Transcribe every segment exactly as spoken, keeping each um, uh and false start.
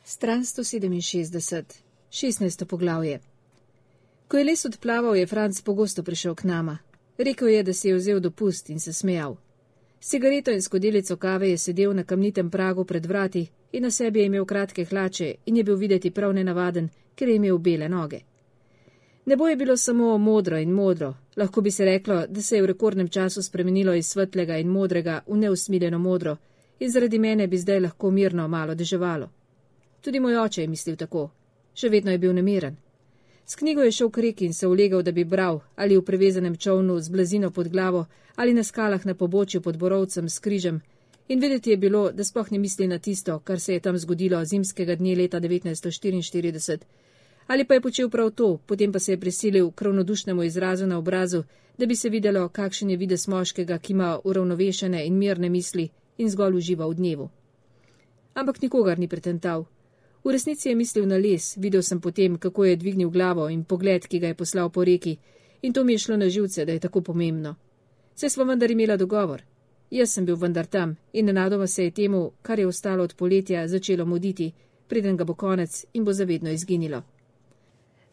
Stran sto sedeminšestdeset, šestnajsto poglavje. Ko je les odplaval, je Franc pogosto prišel k nama. Rekel je, da si je vzel dopust in se smejal. S cigareto in skodelico kave je sedel na kamnitem pragu pred vrati in na sebi je imel kratke hlače in je bil videti prav nenavaden, ker je imel bele noge. Nebo je bilo samo modro in modro, lahko bi se reklo, da se je v rekordnem času spremenilo iz svetlega in modrega v neusmiljeno modro in zaradi mene bi zdaj lahko mirno malo deževalo. Tudi moj oče je mislil tako. Še vedno je bil nemiren. S knjigo je šel k reki in se ulegal, da bi bral, ali v prevezanem čovnu z blazino pod glavo, ali na skalah na pobočju pod borovcem s križem, in videti je bilo, da sploh ne misli na tisto, kar se je tam zgodilo zimskega dne leta devetnajststo štiriinštirideset. Ali pa je počel prav to, potem pa se je prisilil k ravnodušnemu izrazu na obrazu, da bi se videlo, kakšen je videz moškega, ki ima uravnovešene in mirne misli in zgolj uživa v dnevu. Ampak nikogar ni pretental. V resnici je mislil na les, videl sem potem, kako je dvignil glavo in pogled, ki ga je poslal po reki, in to mi je šlo na živce, da je tako pomembno. Saj smo vendar imela dogovor. Jaz sem bil vendar tam in nenadoma se je temu, kar je ostalo od poletja, začelo muditi, preden ga bo konec in bo zavedno izginilo.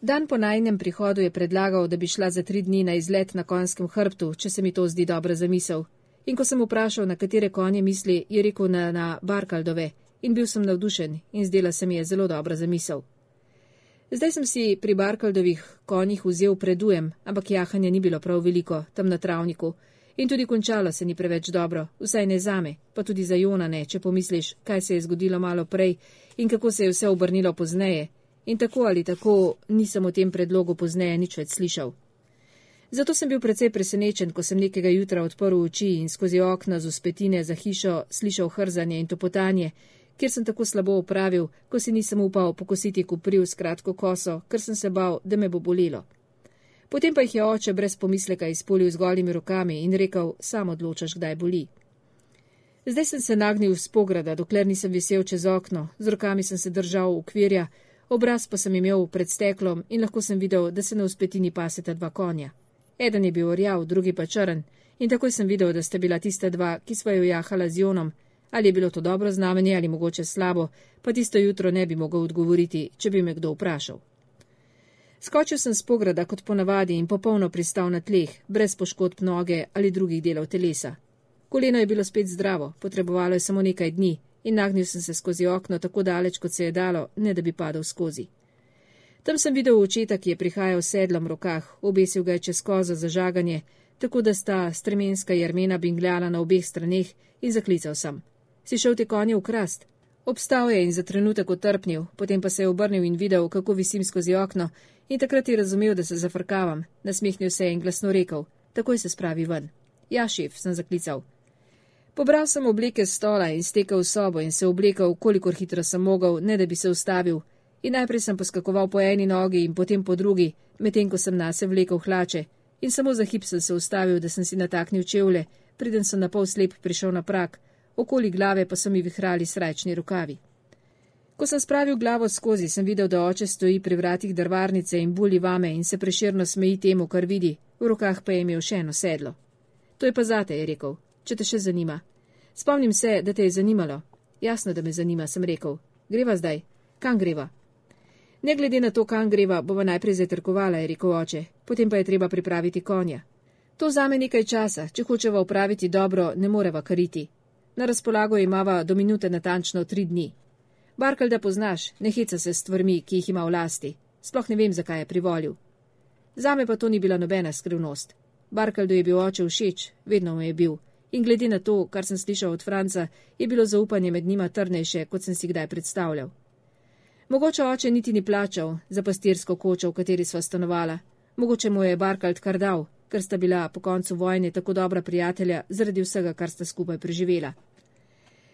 Dan po najinem prihodu je predlagal, da bi šla za tri dni na izlet na konjskem hrbtu, če se mi to zdi dobra zamisel. In ko sem vprašal, na katere konje misli, je rekel na, na Barkaldove, in bil sem navdušen in zdela se mi je zelo dobra zamisel. Zdaj sem si pri Barkaldovih konjih vzel predujem, ampak jahanja ni bilo prav veliko, tam na travniku, in tudi končalo se ni preveč dobro, vsaj ne zame, pa tudi za Jona ne, če pomisliš, kaj se je zgodilo malo prej in kako se je vse obrnilo pozneje, in tako ali tako nisem o tem predlogu pozneje nič več slišal. Zato sem bil precej presenečen, ko sem nekega jutra odprl oči in skozi okna z uspetine za hišo slišal hrzanje in topotanje, kjer sem tako slabo opravil, ko si nisem upal pokositi kopriv s kratko koso, ker sem se bal, da me bo bolelo. Potem pa jih je oče brez pomisleka izpolil z golimi rokami in rekel, sam odločaš, kdaj boli. Zdaj sem se nagnil z pograda, dokler nisem visel čez okno, z rokami sem se držal okvirja, obraz pa sem imel pred steklom in lahko sem videl, da se na uspetini paseta dva konja. Eden je bil orjav, drugi pa črn, in takoj sem videl, da sta bila tista dva, ki sva jo jahala z Jonom. Ali je bilo to dobro znamenje ali mogoče slabo, pa tisto jutro ne bi mogel odgovoriti, če bi me kdo vprašal. Skočil sem s pograda kot ponavadi in popolno pristal na tleh, brez poškodb noge ali drugih delov telesa. Koleno je bilo spet zdravo, potrebovalo je samo nekaj dni in nagnil sem se skozi okno tako daleč, kot se je dalo, ne da bi padel skozi. Tam sem videl očeta, ki je prihajal s sedlom v rokah, obesil ga je čez kozo za žaganje, tako da sta stremenska jermena bingljala na obeh straneh in zaklical sem. Si šel te konje v krast? Obstal je in za trenutek otrpnil, potem pa se je obrnil in videl, kako visim skozi okno, in takrat je razumel, da se zafrkavam, nasmehnil se in glasno rekel, takoj se spravi ven. Ja, šef, sem zaklical. Pobral sem obleke s stola in stekel v sobo in se oblekal, kolikor hitro sem mogel, ne da bi se ustavil, in najprej sem poskakoval po eni nogi in potem po drugi, medtem ko sem nase vlekel hlače, in samo za hip sem se ustavil, da sem si nataknil čevlje, preden sem na pol slep prišel na prak, okoli glave pa so mi vihrali srajčni rokavi. Ko sem spravil glavo skozi, sem videl, da oče stoji pri vratih drvarnice in buli vame in se prešerno smeji temu, kar vidi, v rokah pa je imel še eno sedlo. To je pa zate, je rekel, če te še zanima. Spomnim se, da te je zanimalo. Jasno, da me zanima, sem rekel. Greva zdaj? Kam greva? Ne glede na to, kam greva, bova najprej zajtrkovala, je rekel oče, potem pa je treba pripraviti konja. To vzame nekaj časa, če hočeva upraviti dobro, ne moreva kariti. Na razpolago imava do minute natančno tri dni. Barkalda poznaš, ne heca se s stvarmi, ki jih ima v lasti. Sploh ne vem, zakaj je privolil. Zame pa to ni bila nobena skrivnost. Barkaldu je bil oče všeč, vedno mu je bil. In glede na to, kar sem slišal od Franca, je bilo zaupanje med njima trdnejše, kot sem si kdaj predstavljal. Mogoče oče niti ni plačal za pastirsko kočo, v kateri sva stanovala. Mogoče mu je Barkald kar dal, ker sta bila po koncu vojne tako dobra prijatelja zaradi vsega, kar sta skupaj preživela.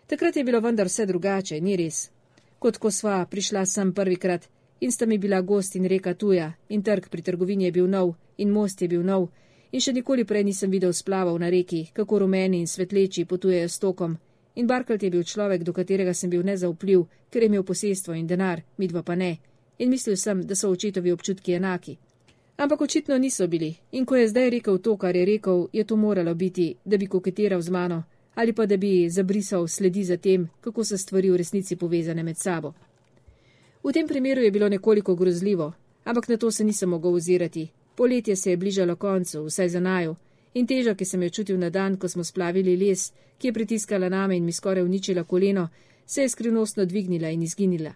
Takrat je bilo vendar vse drugače, ni res. Kot ko sva prišla sem prvikrat in sta mi bila gost in reka tuja in trg pri trgovini je bil nov in most je bil nov in še nikoli prej nisem videl splavov na reki, kako rumeni in svetleči potujejo s tokom. In Barkald je bil človek, do katerega sem bil nezaupljiv, ker je imel posestvo in denar, midva pa ne. In mislil sem, da so očetovi občutki enaki. Ampak očitno niso bili, in ko je zdaj rekel to, kar je rekel, je to moralo biti, da bi koketiral z mano, ali pa da bi zabrisal sledi za tem, kako so stvari v resnici povezane med sabo. V tem primeru je bilo nekoliko grozljivo, ampak na to se nisem mogel ozirati. Poletje se je bližalo koncu, vsaj za naju, in teža, ki sem jo čutil na dan, ko smo splavili les, ki je pritiskala name in mi skoraj uničila koleno, se je skrivnostno dvignila in izginila.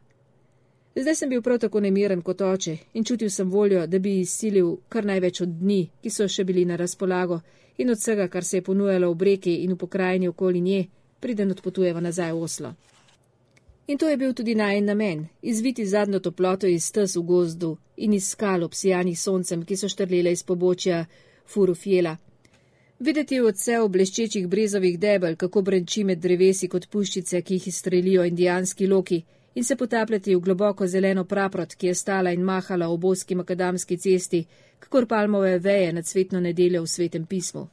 Zdaj sem bil prav tako nemiren kot oče in čutil sem voljo, da bi izsilil kar največ od dni, ki so še bili na razpolago, in od vsega, kar se je ponujalo v reki in v pokrajini okoli nje, preden odpotujeva nazaj v Oslo. In to je bil tudi najen namen, izviti zadnjo toploto iz stez v gozdu in iz skal obsijanih soncem, ki so štrlele iz pobočja Furufjela. Videti odsev bleščečih brezovih debel, kako brenči med drevesi kot puščice, ki jih izstrelijo indijanski loki, in se potapljati v globoko zeleno praprot, ki je stala in mahala ob ozki makadamski cesti, kakor palmove veje nad cvetno nedeljo v Svetem pismu.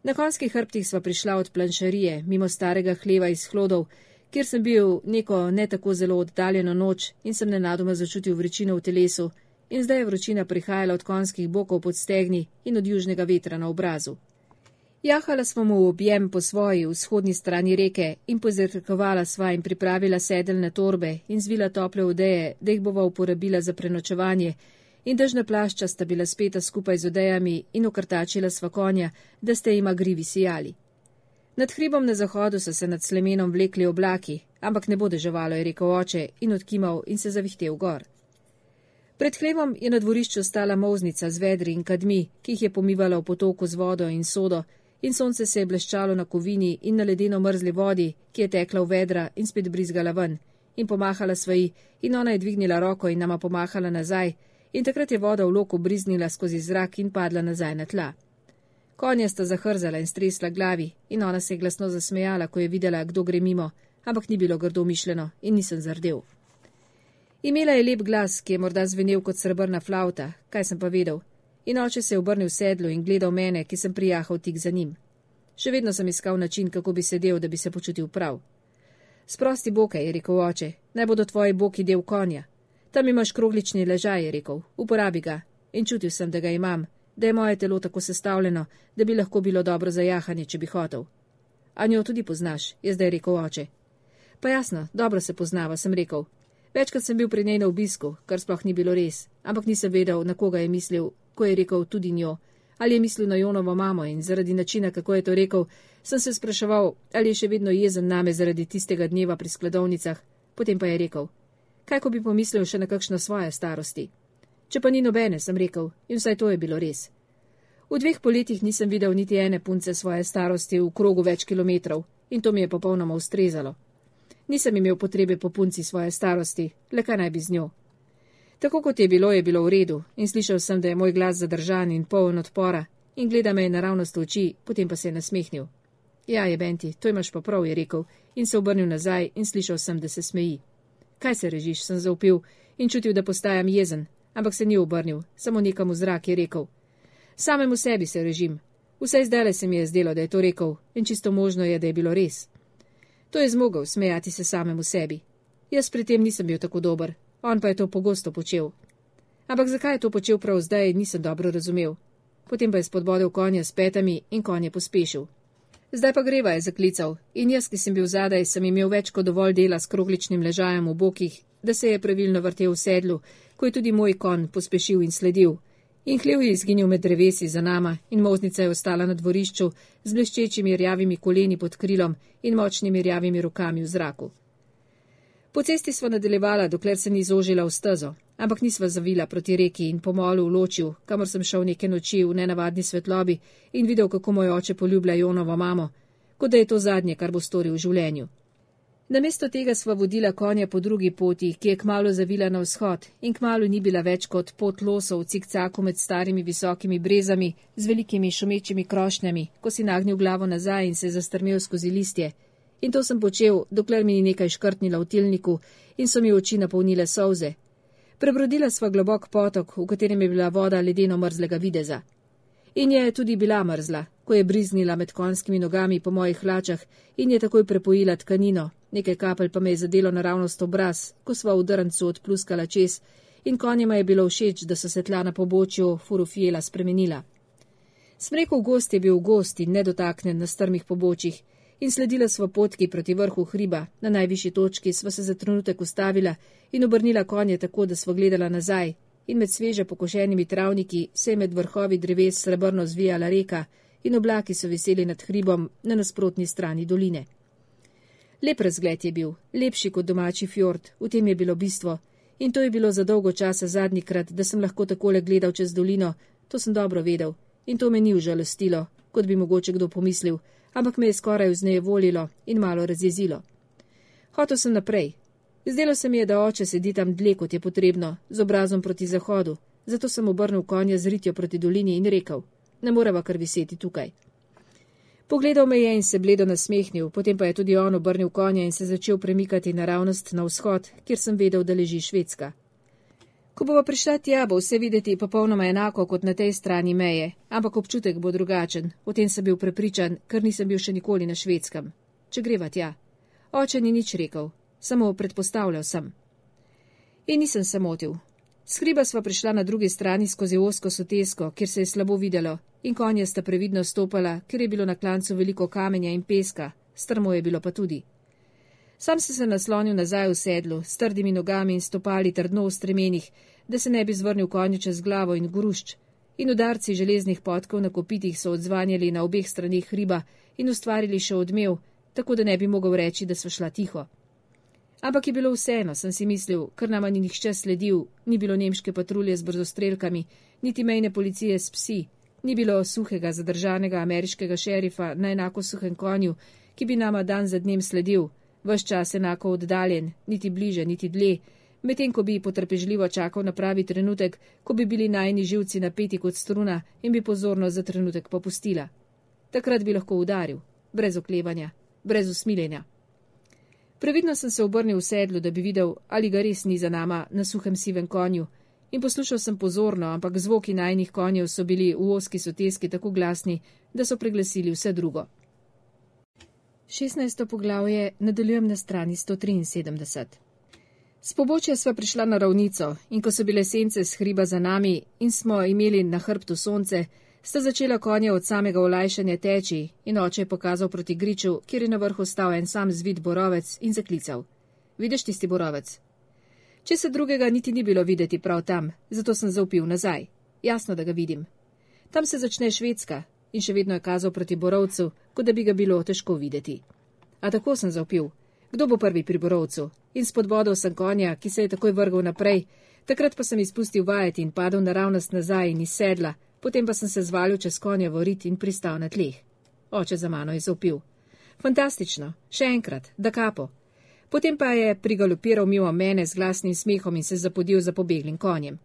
Na konjskih hrbtih sva prišla od planšarije, mimo starega hleva iz Hlodov, kjer sem bil neko ne tako zelo oddaljeno noč in sem nenadoma začutil vročino v telesu, in zdaj je vročina prihajala od konjskih bokov pod stegni in od južnega vetra na obrazu. Jahala smo mu v objem po svoji vzhodni strani reke in pozrkovala sva in pripravila sedeljne torbe in zvila tople odeje, da jih bova uporabila za prenočevanje, in dežna plašča sta bila speta skupaj z odejami in okrtačila sva konja, da ste jima grivi sijali. Nad hribom na zahodu so se nad slemenom vlekli oblaki, ampak ne bo deževalo, je rekel oče in odkimal in se zavihtel gor. Pred hlebom je na dvorišču stala molznica z vedri in kadmi, ki jih je pomivala v potoku z vodo in sodo, in sonce se je bleščalo na kovini in na ledeno mrzli vodi, ki je tekla v vedra in spet brizgala ven, in pomahala svoji, in ona je dvignila roko in nama pomahala nazaj, in takrat je voda v loku briznila skozi zrak in padla nazaj na tla. Konja sta zahrzala in stresla glavi, in ona se je glasno zasmejala, ko je videla, kdo gre mimo, ampak ni bilo grdo mišljeno in nisem zardel. Imela je lep glas, ki je morda zvenel kot srebrna flauta, kaj sem pa vedel, in oče se je obrnil v sedlu in gledal mene, ki sem prijahal tik za njim. Še vedno sem iskal način, kako bi sedel, da bi se počutil prav. Sprosti boke, je rekel oče, naj bodo tvoji boki del konja. Tam imaš kroglični ležaj, je rekel, uporabi ga, in čutil sem, da ga imam, da je moje telo tako sestavljeno, da bi lahko bilo dobro za jahanje, če bi hotel. A njo tudi poznaš, je zdaj rekel oče. Pa jasno, dobro se poznava, sem rekel. Večkrat sem bil pri njej na obisku, kar sploh ni bilo res, ampak nisem vedel, na koga je mislil, ko je rekel tudi njo, ali je mislil na Jonovo mamo, in zaradi načina, kako je to rekel, sem se spraševal, ali je še vedno jezen name zaradi tistega dneva pri skladovnicah, potem pa je rekel, kaj ko bi pomislil še na kakšno svoje starosti. Če pa ni nobene, sem rekel, in vsaj to je bilo res. V dveh poletjih nisem videl niti ene punce svoje starosti v krogu več kilometrov, in to mi je popolnoma ustrezalo. Nisem imel potrebe po punci svoje starosti, le kaj naj bi z njo. Tako kot je bilo, je bilo v redu, in slišal sem, da je moj glas zadržan in poln odpora, in gleda me je naravnost v oči, potem pa se je nasmehnil. Ja, je Benti, to imaš pa prav, je rekel, in se obrnil nazaj in slišal sem, da se smeji. Kaj se režiš, sem zaupil in čutil, da postajam jezen, ampak se ni obrnil, samo nekam v zrak je rekel. Samemu sebi se režim. Vsaj zdajle se mi je zdelo, da je to rekel, in čisto možno je, da je bilo res. To je zmogel smejati se samemu sebi. Jaz pri tem nisem bil tako dober, on pa je to pogosto počel. Ampak zakaj je to počel prav zdaj, nisem dobro razumel. Potem pa je spodbodel konja s petami in konj je pospešil. Zdaj pa greva, je zaklical, in jaz, ki sem bil zadaj, sem imel več kot dovolj dela s krogličnim ležajem v bokih, da se je pravilno vrtel v sedlu, ko je tudi moj konj pospešil in sledil. In hlev je izginil med drevesi za nama in molznica je ostala na dvorišču z bleščečimi rjavimi koleni pod krilom in močnimi rjavimi rokami v zraku. Po cesti sva nadaljevala, dokler se ni zožila v stezo, ampak nisva zavila proti reki in po molu v ločju, kamor sem šel neke noči v nenavadni svetlobi in videl, kako moj oče poljublja Jonovo mamo, kot da je to zadnje, kar bo storil v življenju. Namesto tega sva vodila konja po drugi poti, ki je kmalu zavila na vzhod in kmalu ni bila več kot pot losov v cikcaku med starimi visokimi brezami z velikimi šumečimi krošnjami, ko si nagnil glavo nazaj in se zastrmel skozi listje. In to sem počel, dokler mi ni nekaj škrtnila v tilniku in so mi oči napolnile solze. Prebrodila sva globok potok, v katerem je bila voda ledeno mrzlega videza. In je tudi bila mrzla, ko je briznila med konjskimi nogami po mojih hlačah in je takoj prepojila tkanino, nekaj kapelj pa me je zadelo naravnost obraz, ko sva v drncu odpluskala čez in konjima je bilo všeč, da so se tla na pobočju Furufjela spremenila. Smrekov gost je bil gost in nedotaknen na strmih pobočjih in sledila sva potki proti vrhu hriba, na najvišji točki sva se za trenutek ustavila in obrnila konje tako, da sva gledala nazaj, in med sveže pokošenimi travniki se je med vrhovi dreves srebrno zvijala reka in oblaki so viseli nad hribom na nasprotni strani doline. Lep razgled je bil, lepši kot domači fjord, v tem je bilo bistvo, in to je bilo za dolgo časa zadnjikrat, da sem lahko takole gledal čez dolino, to sem dobro vedel, in to me ni užalostilo, kot bi mogoče kdo pomislil, ampak me je skoraj vznejevolilo in malo razjezilo. Hotel sem naprej. Zdelo se mi je, da oče sedi tam dlje, kot je potrebno, z obrazom proti zahodu, zato sem obrnil konja z ritjo proti dolini in rekel, ne moreva kar viseti tukaj. Pogledal me je in se bledo nasmehnil, potem pa je tudi on obrnil konja in se začel premikati naravnost na vzhod, kjer sem vedel, da leži Švedska. Ko bova prišla tja, bo vse videti popolnoma enako kot na tej strani meje, ampak občutek bo drugačen, o tem sem bil prepričan, ker nisem bil še nikoli na Švedskem. Če greva tja. Oče ni nič rekel, samo predpostavljal sem. In nisem se motil. S hriba sva prišla na drugi strani skozi ozko sotesko, kjer se je slabo videlo, in konje sta previdno stopala, ker je bilo na klancu veliko kamenja in peska, strmo je bilo pa tudi. Sam sem se naslonil nazaj v sedlu, s trdimi nogami in stopali trdno v stremenih, da se ne bi zvrnil konju čez glavo in grušč, in udarci železnih podkov na kopitih so odzvanjali na obeh stranih hriba in ustvarili še odmev, tako da ne bi mogel reči, da sva šla tiho. Ampak je bilo vseeno, sem si mislil, ker nama ni nihče sledil, ni bilo nemške patrulje z brzostrelkami, niti mejne policije s psi, ni bilo suhega zadržanega ameriškega šerifa na enako suhem konju, ki bi nama dan za dnem sledil, ves čas enako oddaljen, niti bliže, niti dlje, medtem ko bi potrpežljivo čakal na pravi trenutek, ko bi bili najini živci napeti kot struna in bi pozornost za trenutek popustila. Takrat bi lahko udaril, brez oklevanja, brez usmiljenja. Previdno sem se obrnil v sedlu, da bi videl, ali ga res ni za nama na suhem sivem konju, in poslušal sem pozorno, ampak zvoki najinih konjev so bili v ozki soteski tako glasni, da so preglasili vse drugo. šestnajsto poglavje nadaljujem na strani sto triinsedemdeset. S pobočja sva prišla na ravnico in ko so bile sence s hriba za nami in smo imeli na hrbtu sonce, sta začela konja od samega olajšanja teči in oče je pokazal proti griču, kjer je na vrhu stal en sam zvit borovec in zaklical. Vidiš tisti borovec? Če se drugega niti ni bilo videti prav tam, zato sem zaupil nazaj. Jasno, da ga vidim. Tam se začne Švedska in še vedno je kazal proti borovcu, kot da bi ga bilo težko videti. A tako sem zaupil. Kdo bo prvi pri borovcu? In spodbodal sem konja, ki se je takoj vrgal naprej, takrat pa sem izpustil vajeti in padel naravnost nazaj in iz sedla, potem pa sem se zvalil čez konja v rit in pristal na tleh. Oče za mano je zaupil. Fantastično, še enkrat, da kapo. Potem pa je prigalopiral mimo mene z glasnim smehom in se zapodil za pobeglim konjem.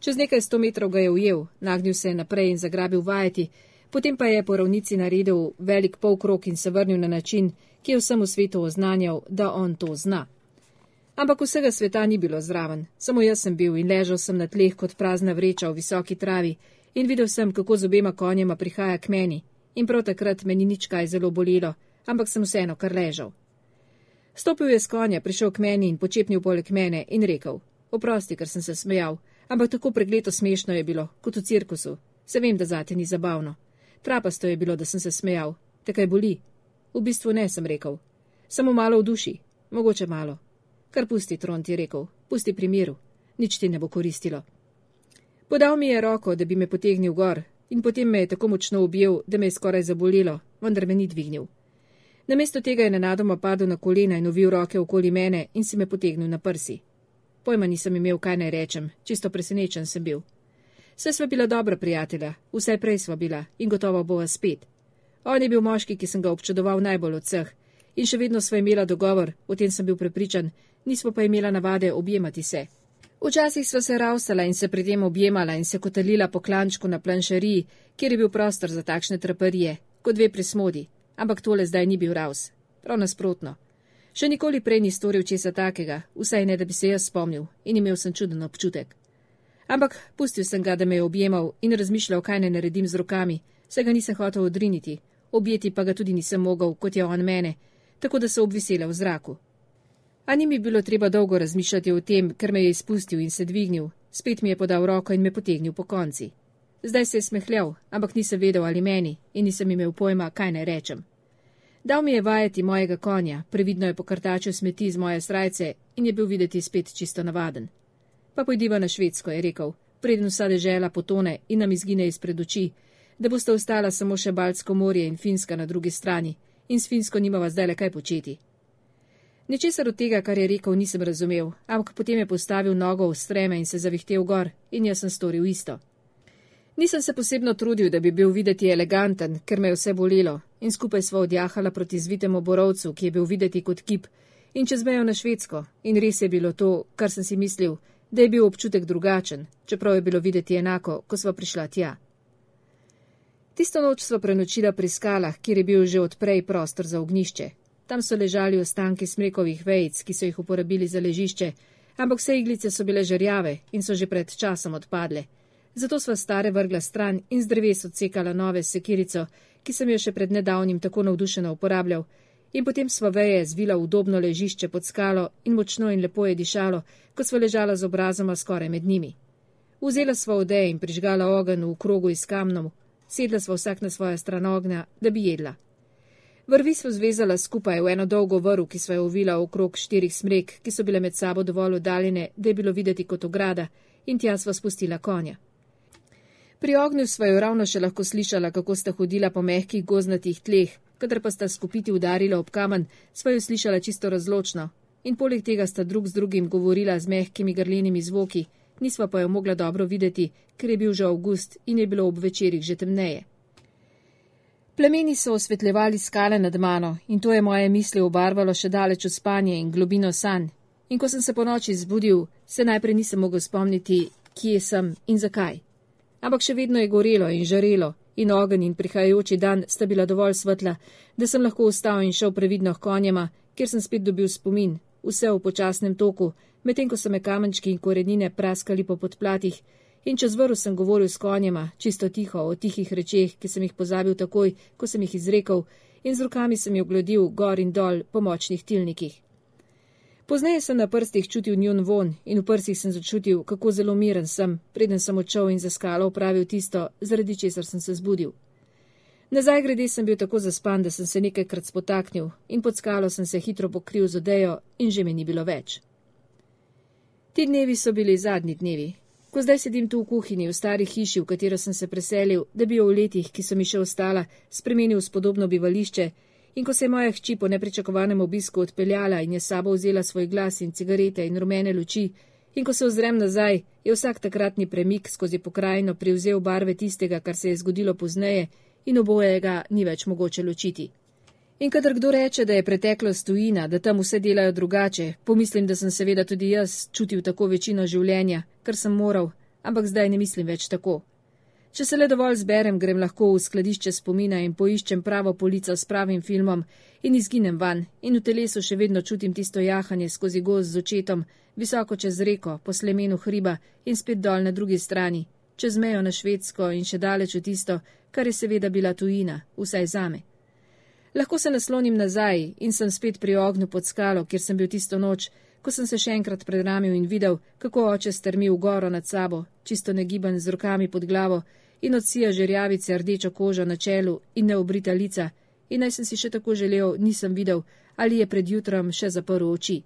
Čez nekaj sto metrov ga je ujel, nagnil se je naprej in zagrabil vajeti, potem pa je po ravnici naredil velik polkrog in se vrnil na način, ki je vsemu svetu oznanjal, da on to zna. Ampak vsega sveta ni bilo zraven, samo jaz sem bil in ležal sem na tleh kot prazna vreča v visoki travi in videl sem, kako z obema konjema prihaja k meni in prav takrat me ni nič kaj zelo bolelo, ampak sem vseeno kar ležal. Stopil je s konja, prišel k meni in počepnil poleg mene in rekel, oprosti, ker sem se smejal, ampak tako pregleto smešno je bilo, kot v cirkusu. Se vem, da zate ni zabavno. Trapasto je bilo, da sem se smejal. Te kaj boli? V bistvu ne, sem rekel. Samo malo v duši. Mogoče malo. Kar pusti, Trond je rekel. Pusti pri miru. Nič ti ne bo koristilo. Podal mi je roko, da bi me potegnil gor in potem me je tako močno objel, da me je skoraj zabolelo, vendar me ni dvignil. Namesto tega je nenadoma padel na kolena in ovil roke okoli mene in si me potegnil na prsi. Pojma nisem imel, kaj naj rečem, čisto presenečen sem bil. Vse sva bila dobra prijatelja, vsaj prej sva bila in gotovo bova spet. On je bil moški, ki sem ga občudoval najbolj od vseh in še vedno sva imela dogovor, o tem sem bil prepričan, nismo pa imela navade objemati se. Včasih sva se ravsala in se pri tem objemala in se kotalila po klančku na planšariji, kjer je bil prostor za takšne traparije, kot dve prismodi, ampak tole zdaj ni bil ravs, prav nasprotno. Še nikoli prej ni storil česa takega, vsaj ne, da bi se jaz spomnil in imel sem čuden občutek. Ampak pustil sem ga, da me je objemal in razmišljal, kaj ne naredim z rokami, se ga nisem hotel odriniti, objeti pa ga tudi nisem mogel, kot je on mene, tako da se obvisela v zraku. A ni mi bilo treba dolgo razmišljati o tem, ker me je izpustil in se dvignil, spet mi je podal roko in me potegnil po konci. Zdaj se je smehljal, ampak nisem vedel ali meni in nisem imel pojma, kaj naj rečem. Dal mi je vajeti mojega konja, previdno je pokrtačil smeti z moje srajce in je bil videti spet čisto navaden. Pa pojdiva na Švedsko, je rekel, preden vsa dežela potone in nam izgine izpred oči, da boste ostala samo še Baltsko morje in Finska na drugi strani in s Finsko nimava zdaj le kaj početi. Ničesar od tega, kar je rekel, nisem razumel, ampak potem je postavil nogo v streme in se zavihtel gor in jaz sem storil isto. Nisem se posebno trudil, da bi bil videti eleganten, ker me je vse bolelo in skupaj sva odjahala proti zvitemu borovcu, ki je bil videti kot kip in čez mejo na Švedsko in res je bilo to, kar sem si mislil, da je bil občutek drugačen, čeprav je bilo videti enako, ko sva prišla tja. Tisto noč sva prenočila pri skalah, kjer je bil že odprej prostor za ognjišče. Tam so ležali ostanki smrekovih vejic, ki so jih uporabili za ležišče, ampak vse iglice so bile žerjave in so že pred časom odpadle. Zato sva stare vrgla stran in z dreves odsekala nove sekirico, ki sem jo še pred nedavnim tako navdušeno uporabljal, in potem sva veje zvila v udobno ležišče pod skalo in močno in lepo je dišalo, ko sva ležala z obrazoma skoraj med njimi. Vzela sva odeje in prižgala ogenj v krogu iz kamnom, sedla sva vsak na svojo stran ognja, da bi jedla. Vrvi sva zvezala skupaj v eno dolgo vrv, ki sva jo ovila okrog štirih smrek, ki so bile med sabo dovolj oddaljene, da je bilo videti kot ograda, in tja sva spustila konja. Pri ognju sva jo ravno še lahko slišala, kako sta hodila po mehkih gozdnatih tleh, kadar pa sta skupiti udarila ob kamen, sva jo slišala čisto razločno, in poleg tega sta drug z drugim govorila z mehkimi grlenimi zvoki, nisva pa jo mogla dobro videti, ker je bil že avgust in je bilo ob večerih že temneje. Plemeni so osvetljevali skale nad mano in to je moje misli obarvalo še daleč v spanje in globino sanj. In ko sem se po noči zbudil, se najprej nisem mogel spomniti, kje sem in zakaj. Ampak še vedno je gorelo in žarelo in ogenj in prihajajoči dan sta bila dovolj svetla, da sem lahko vstal in šel previdno h konjema, kjer sem spet dobil spomin, vse v počasnem toku, medtem ko so me kamenčki in korenine praskali po podplatih, in čez vrv sem govoril s konjema, čisto tiho, o tihih rečeh, ki sem jih pozabil takoj, ko sem jih izrekel, in z rokami sem jo glodil gor in dol po močnih tilnikih. Pozneje sem na prstih čutil njun von in v prsih sem začutil, kako zelo miren sem, preden sem odšel in za skalo opravil tisto, zaradi česar sem se zbudil. Nazaj grede sem bil tako zaspan, da sem se nekajkrat spotaknil in pod skalo sem se hitro pokril z odejo in že me ni bilo več. Ti dnevi so bili zadnji dnevi. Ko zdaj sedim tu v kuhinji, v stari hiši, v katero sem se preselil, da bi jo v letih, ki so mi še ostala, spremenil v spodobno bivališče, in ko se je moja hči po nepričakovanem obisku odpeljala in je sabo vzela svoj glas in cigarete in rumene luči, in ko se ozrem nazaj, je vsak takratni premik skozi pokrajino privzel barve tistega, kar se je zgodilo pozneje, in obojega ni več mogoče ločiti. In kadar kdo reče, da je preteklost tujina, da tam vse delajo drugače, pomislim, da sem seveda tudi jaz čutil tako večino življenja, kar sem moral, ampak zdaj ne mislim več tako. Če se le dovolj zberem, grem lahko v skladišče spomina in poiščem pravo polico s pravim filmom in izginem van in v telesu še vedno čutim tisto jahanje skozi gozd z očetom, visoko čez reko, po slemenu hriba in spet dol na drugi strani, čez mejo na Švedsko in še daleč v tisto, kar je seveda bila tujina, vsaj zame. Lahko se naslonim nazaj in sem spet pri ognju pod skalo, kjer sem bil tisto noč, ko sem se še enkrat predramil in videl, kako oče strmi v goro nad sabo, čisto negiban z rokami pod glavo in odsija žerjavice rdečo kožo na čelu in neobrita lica, in naj sem si še tako želel, nisem videl, ali je pred jutrom še zaprl oči.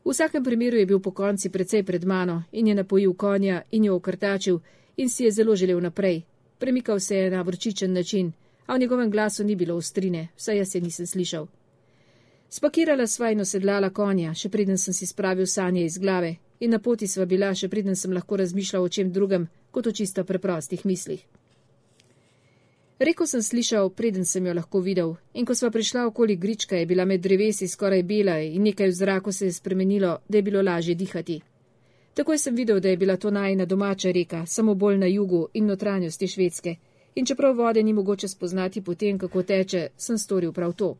V vsakem primeru je bil po konci precej pred mano in je napojil konja in jo okrtačil in si je zelo želel naprej. Premikal se je na vročičen način, a v njegovem glasu ni bilo ostrine, vsaj jaz je nisem slišal. Spakirala sva in osedlala konja, še preden sem si spravil sanje iz glave, in na poti sva bila, še preden sem lahko razmišljal o čem drugem, kot o čisto preprostih mislih. Reko sem slišal, preden sem jo lahko videl, in ko sva prišla okoli grička, je bila med drevesi skoraj bela in nekaj v zraku se je spremenilo, da je bilo lažje dihati. Takoj sem videl, da je bila to najina domača reka, samo bolj na jugu in notranjosti Švedske, in čeprav vode ni mogoče spoznati potem, kako teče, sem storil prav to.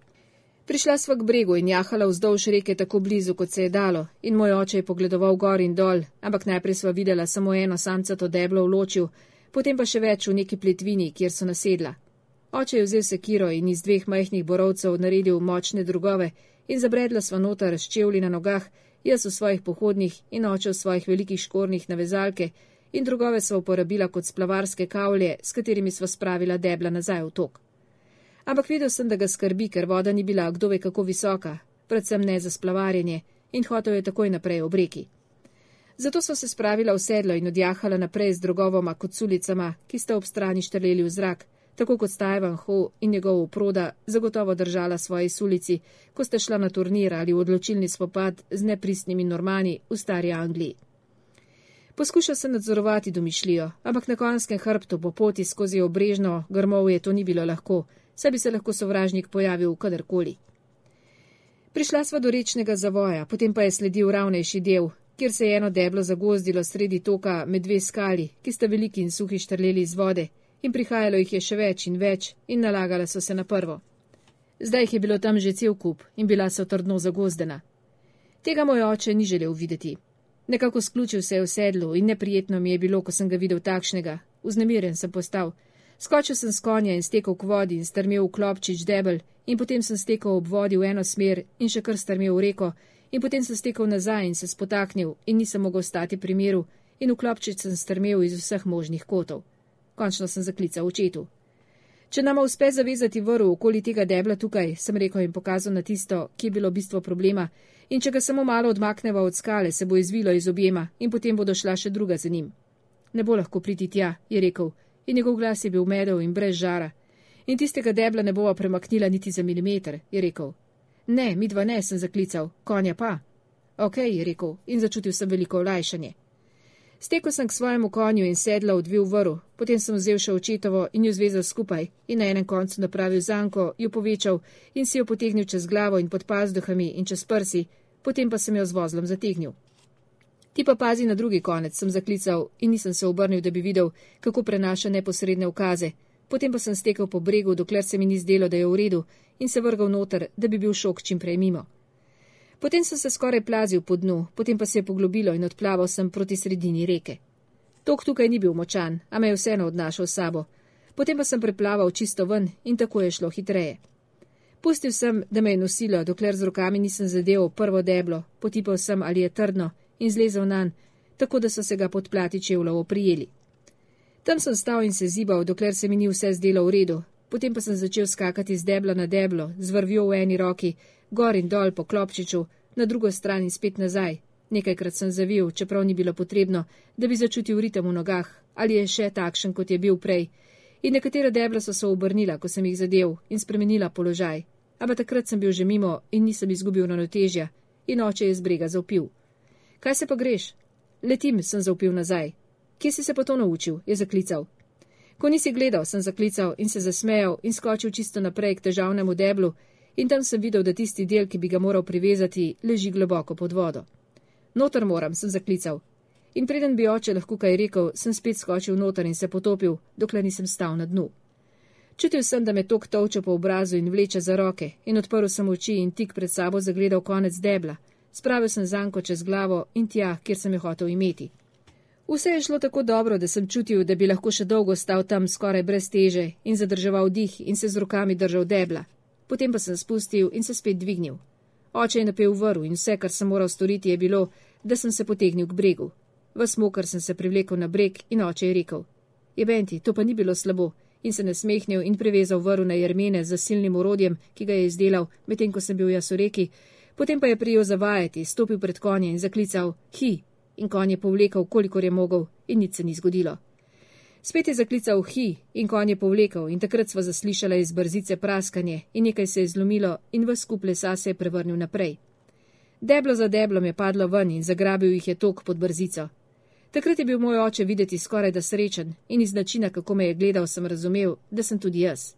Prišla sva k bregu in jahala vzdolž reke tako blizu, kot se je dalo, in moj oče je pogledoval gor in dol, ampak najprej sva videla samo eno samcato deblo v ločju, potem pa še več v neki pletvini, kjer so nasedla. Oče je vzel sekiro in iz dveh majhnih borovcev naredil močne drugove in zabredla sva noter s čevlji na nogah, jaz v svojih pohodnih in oče v svojih velikih škornjih na vezalke, in drugove sva uporabila kot splavarske kavlje, s katerimi sva spravila debla nazaj v tok. Ampak videl sem, da ga skrbi, ker voda ni bila kdo ve kako visoka, predvsem ne za splavarjenje, in hotel je takoj naprej ob reki. Zato so se spravila v sedlo in odjahala naprej z drogovoma koculicama, ki sta ob strani štrleli v zrak, tako kot sta Ivan Ho in njegov oproda zagotovo držala svoji sulici, ko sta šla na turnir ali v odločilni spopad z nepristnimi Normani v stari Angliji. Poskušal sem nadzorovati domišljijo, ampak na konjskem hrbtu po poti skozi obrežno grmovje to ni bilo lahko, saj bi se lahko sovražnik pojavil kadarkoli. Prišla sva do rečnega zavoja, potem pa je sledil ravnejši del, kjer se je eno deblo zagozdilo sredi toka med dve skali, ki sta veliki in suhi štrleli iz vode, in prihajalo jih je še več in več in nalagala so se na prvo. Zdaj jih je bilo tam že cel kup in bila so trdno zagozdena. Tega moj oče ni želel videti. Nekako sključil se je v sedlu in neprijetno mi je bilo, ko sem ga videl takšnega. Vznemiren sem postal. Skočil sem s konja in stekel k vodi in strmel v klopčič debel in potem sem stekel ob vodi v eno smer in še kar strmel v reko in potem sem stekel nazaj in se spotaknil in nisem mogel stati pri miru in v klopčič sem strmel iz vseh možnih kotov. Končno sem zaklical očetu. Če nama uspe zavezati vrv okoli tega debla tukaj, sem rekel in pokazal na tisto, ki je bilo bistvo problema, in če ga samo malo odmakneva od skale, se bo izvilo iz objema in potem bodo šla še druga za njim. Ne bo lahko priti tja, je rekel, in njegov glas je bil medel in brez žara. In tistega debla ne bova premaknila niti za milimeter, je rekel. Ne, midva ne, sem zaklical, konja pa. Ok, je rekel, in začutil sem veliko olajšanje. Stekel sem k svojemu konju in sedla odvil vrv, potem sem vzel še očetovo in jo zvezal skupaj in na enem koncu napravil zanko, jo povečal in si jo potegnil čez glavo in pod pazduhami in čez prsi, potem pa sem jo z vozlom zategnil. Ti pa pazi na drugi konec, sem zaklical in nisem se obrnil, da bi videl, kako prenaša neposredne ukaze. Potem pa sem stekel po bregu, dokler se mi ni zdelo, da je v redu, in se vrgal noter, da bi bil šok čim prej mimo. Potem sem se skoraj plazil po dnu, potem pa se je poglobilo in odplaval sem proti sredini reke. Tok tukaj ni bil močan, a me je vseeno odnašal s sabo. Potem pa sem preplaval čisto ven in tako je šlo hitreje. Pustil sem, da me je nosilo, dokler z rokami nisem zadeval prvo deblo, potipal sem, ali je trdno, in zlezel nanj, tako da so se ga pod plati čevljev oprijeli. Tam sem stal in se zibal, dokler se mi ni vse zdelo v redu, potem pa sem začel skakati z debla na deblo, z vrvjo v eni roki, gor in dol po klopčiču, na drugo stran in spet nazaj. Nekajkrat sem zavil, čeprav ni bilo potrebno, da bi začutil ritem v nogah, ali je še takšen, kot je bil prej. In nekatera debla so se obrnila, ko sem jih zadev in spremenila položaj. Ampak takrat sem bil že mimo in nisem izgubil ravnotežja in oče je z brega zavpil. Kaj se pa greš? Letim, sem zavpil nazaj. Kje si se pa to naučil? Je zaklical. Ko nisi gledal, sem zaklical in se zasmejal in skočil čisto naprej k težavnemu deblu in tam sem videl, da tisti del, ki bi ga moral privezati, leži globoko pod vodo. Noter moram, sem zaklical. In preden bi oče lahko kaj rekel, sem spet skočil noter in se potopil, dokler nisem stal na dnu. Čutil sem, da me tok tolče po obrazu in vleče za roke in odprl sem oči in tik pred sabo zagledal konec debla. Spravil sem zanko čez glavo in tja, kjer sem jo hotel imeti. Vse je šlo tako dobro, da sem čutil, da bi lahko še dolgo stal tam skoraj brez teže in zadrževal dih in se z rokami držal debla. Potem pa sem spustil in se spet dvignil. Oče je napel vrv in vse, kar sem moral storiti, je bilo, da sem se potegnil k bregu. Ves moker sem se privlekel na breg in oče je rekel: Jebenti, to pa ni bilo slabo, in se nasmehnil in privezal vrv na jermene z silnim orodjem, ki ga je izdelal, medtem ko sem bil jaz v reki, potem pa je prijel zavajati, stopil pred konje in zaklical: Hi! In konj je povlekel, kolikor je mogel, in nič se ni zgodilo. Spet je zaklical hi in konj je povlekel in takrat sva zaslišala iz brzice praskanje in nekaj se je zlomilo in ves skup lesa se je prevrnil naprej. Deblo za deblom je padlo ven in zagrabil jih je tok pod brzico. Takrat je bil moj oče videti skoraj da srečen in iz načina, kako me je gledal, sem razumel, da sem tudi jaz.